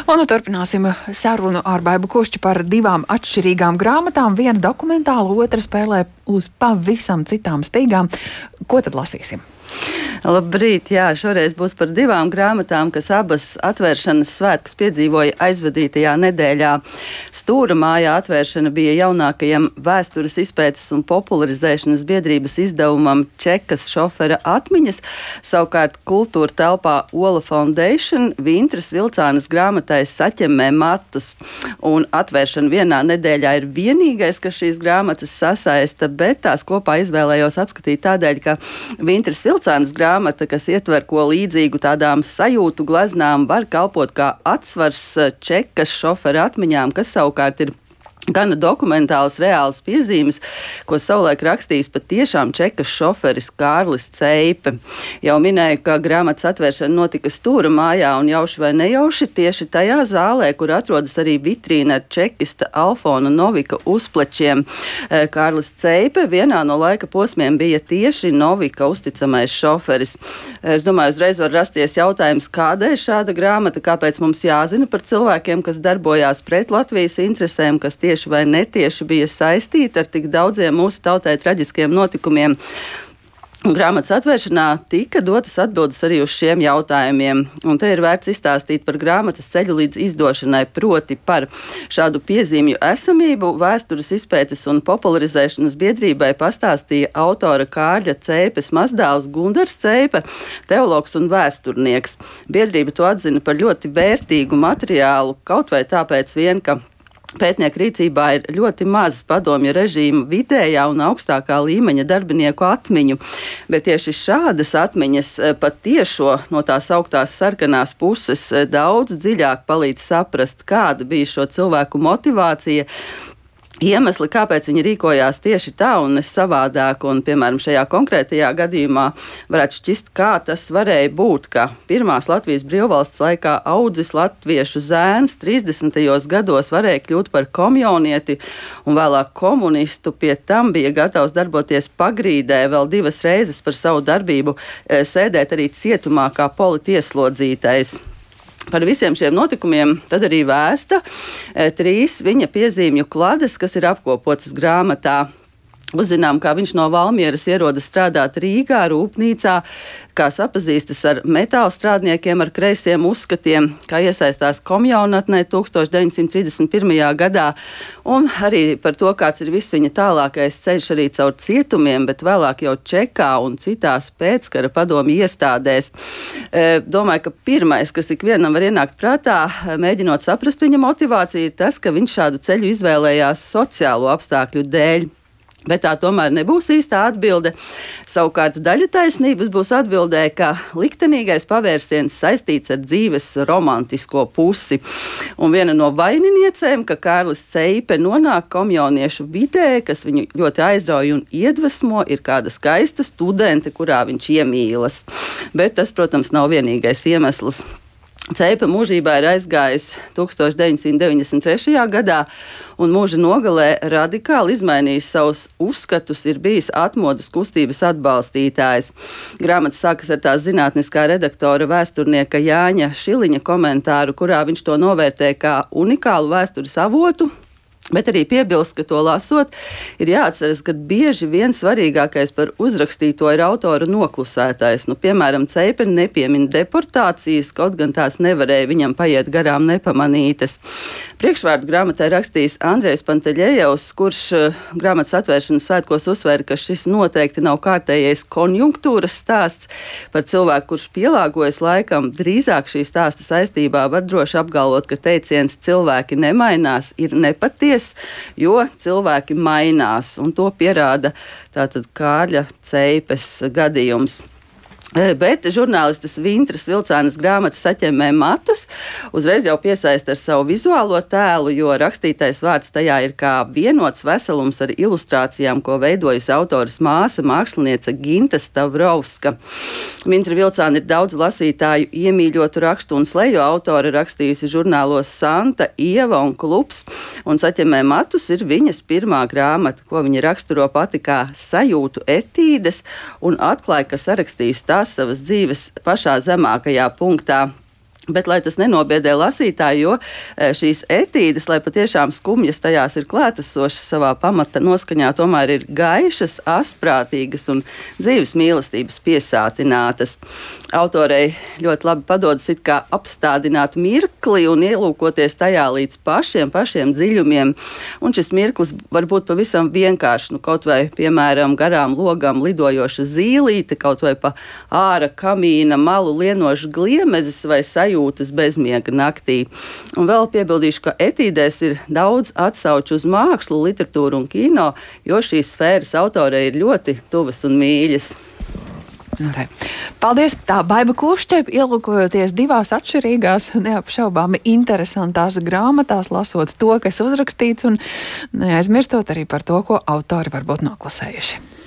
Un turpināsim sarunu ar Baibu Kušķi par divām atšķirīgām grāmatām. Viena dokumentāla, otra spēlē uz pavisam citām stīgām. Ko tad lasīsim? Labrīt, jā, šoreiz būs par divām grāmatām, kas abas atvēršanas svētkus piedzīvoja aizvadītajā nedēļā. Stūra mājā atvēršana bija jaunākajam vēstures izpētes un popularizēšanas biedrības izdevumam Čekas šofera atmiņas, savukārt kultūra telpā Ola Foundation Vintras Vilcānas grāmatai Saķemmē matus. Un atvēršana vienā nedēļā ir vienīgais, kas šīs grāmatas sasaista, bet tās kopā izvēlējos apskatīt tādēļ, ka Vintras Vilcānas grāmata, kas ietver ko līdzīgu tādām sajūtu gleznām, var kalpot kā atsvars Čekas šofera atmiņām, kas savukārt ir gana dokumentāls, reāls piezīmes, ko savulaik rakstījis patiešām Čekas šoferis Kārlis Ceipe. Jau minēju, ka grāmatas atvēršana notika Stūra mājā un jauši vai nejauši tieši tajā zālē, kur atrodas arī vitrīna ar čekista Alfona Novika uzplečiem. Kārlis Ceipe vienā no laika posmiem bija tieši Novika uzticamais šoferis. Es domāju, uzreiz var rasties jautājums, kādēļ šāda grāmata, kāpēc mums jāzina par cilvēkiem, kas darbojās pret Latvijas interesēm, kas tieši vai netieši bija saistīta ar tik daudziem mūsu tautai traģiskiem notikumiem. Grāmatas atvēršanā tika dotas atbildes arī uz šiem jautājumiem, un te ir vērts izstāstīt par grāmatas ceļu līdz izdošanai, proti par šādu piezīmju esamību vēstures izpētes un popularizēšanas biedrībai pastāstīja autora Kārļa Ceipes mazdēls Gundars Ceipe, teologs un vēsturnieks. Biedrība to atzina par ļoti vērtīgu materiālu, kaut vai tāpēc vien, ka pētnieku rīcībā ir ļoti maz padomju režīma vidējā un augstākā līmeņa darbinieku atmiņu, bet tieši šādas atmiņas pat tiešo no tās augtās sarkanās puses daudz dziļāk palīdz saprast, kāda bija šo cilvēku motivācija, iemesli, kāpēc viņi rīkojās tieši tā un ne savādāk, un, piemēram, šajā konkrētajā gadījumā varētu šķist, kā tas varēja būt, ka pirmās Latvijas brīvvalsts laikā audzis latviešu zēns 30. gados varēja kļūt par komjonieti un vēlāk komunistu, pie tam bija gatavs darboties pagrīdē, vēl 2 reizes par savu darbību sēdēt arī cietumā kā politieslodzītais. Par visiem šiem notikumiem tad arī vēsta 3 viņa piezīmju klades, kas ir apkopotas grāmatā. Uzzinām, kā viņš no Valmieras ierodas strādāt Rīgā, rūpnīcā, kā sapazīstas ar metāla strādniekiem ar kreisiem uzskatiem, kā iesaistās komjaunatnē 1931. gadā, un arī par to, kāds ir viss viņa tālākais ceļš arī caur cietumiem, bet vēlāk jau Čekā un citās pēckara padomju iestādēs. Domāju, ka pirmais, kas ikvienam var ienākt prātā, mēģinot saprast viņa motivāciju, ir tas, ka viņš šādu ceļu izvēlējās sociālo apstākļu dēļ. Bet tā tomēr nebūs īstā atbilde. Savukārt daļa taisnības būs atbildē, ka liktenīgais pavērsiens saistīts ar dzīves romantisko pusi. Un viena no vaininiecēm, ka Kārlis Ceipe nonāk komjauniešu vidē, kas viņu ļoti aizrauja un iedvesmo, ir kāda skaista studente, kurā viņš iemīlas. Bet tas, protams, nav vienīgais iemesls. Ceipe mūžībā ir aizgājis 1993. gadā un mūža nogalē radikāli izmainījis savus uzskatus, ir bijis atmodas kustības atbalstītājs. Grāmata sākas ar tā zinātniskā redaktora vēsturnieka Jāņa Šiliņa komentāru, kurā viņš to novērtē kā unikālu vēstures avotu. Bet arī piebilst, ka to lasot, ir jāatceras, ka bieži vien svarīgākais par uzrakstīto ir autora noklusētais. Piemēram, Ceipe nepiemina deportācijas, kaut gan tās nevarēja viņam paiet garām nepamanītas. Priekšvārdu grāmatai rakstījis Andrejs Panteļejevs, kurš grāmatas atvēršanas svētkos uzsvēra, ka šis noteikti nav kārtējais konjunktūras stāsts par cilvēku, kurš pielāgojas laikam. Drīzāk šī stāsta saistībā var droši apgalvot, ka teiciens cilvēki nemainās ir nepatiesa, jo cilvēki mainās, un to pierāda tātad Kārļa Ceipes gadījums. Bet žurnālistes Vintras Vilcānas grāmata Saķemmē matus uzreiz jau piesaista ar savu vizuālo tēlu, jo rakstītais vārds tajā ir kā vienots veselums ar ilustrācijām, ko veidojusi autoras māsa, māksliniece Ginta Stavrovska. Vintra Vilcāna ir daudz lasītāju iemīļotu rakstu un sleju autora, rakstījusi žurnālos Santa, Ieva un Klubs, un Saķemmē matus ir viņas pirmā grāmata, ko viņa raksturo pati kā sajūtu etīdes, un atklāja, ka sarakstījusi tās savas dzīves pašā zemākajā punktā. Bet, lai tas nenobiedē lasītāju, jo šīs etīdes, lai patiešām skumjas tajās ir klātesošas savā pamata noskaņā, tomēr ir gaišas, asprātīgas un dzīves mīlestības piesātinātas. Autorei ļoti labi padodas it kā apstādināt mirkli un ielūkoties tajā līdz pašiem dziļumiem. Un šis mirklis var būt pavisam vienkārši, kaut vai, piemēram, garām logām lidojoša zīlīte, kaut vai pa āra kamīna malu lienoša gliemezis vai sajūtas bezmiega naktī. Un vēl piebildīšu, ka etīdēs ir daudz atsauču uz mākslu, literatūru un kino, jo šīs sfēras autorei ir ļoti tuvas un mīļas. Paldies! Tā Baiba Kušķe, ielūkojoties divās atšķirīgās, neapšaubāmi interesantās grāmatās, lasot to, kas uzrakstīts, un neaizmirstot arī par to, ko autori varbūt noklusējuši.